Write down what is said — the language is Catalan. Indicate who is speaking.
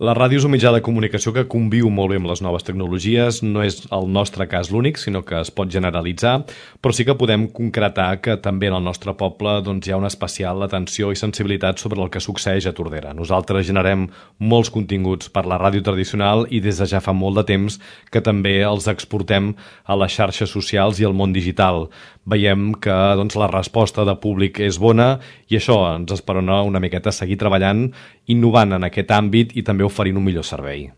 Speaker 1: La ràdio és un mitjà de comunicació que conviu molt bé amb les noves tecnologies, no és el nostre cas l'únic, sinó que es pot generalitzar, però sí que podem concretar que també en el nostre poble hi ha una especial atenció i sensibilitat sobre el que succeeix a Tordera. Nosaltres generem molts continguts per la ràdio tradicional i des de ja fa molt de temps que també els exportem a les xarxes socials i al món digital. Veiem que la resposta de públic és bona i això ens esperona una miqueta a seguir treballant, innovant en aquest àmbit i també oferint un millor servei.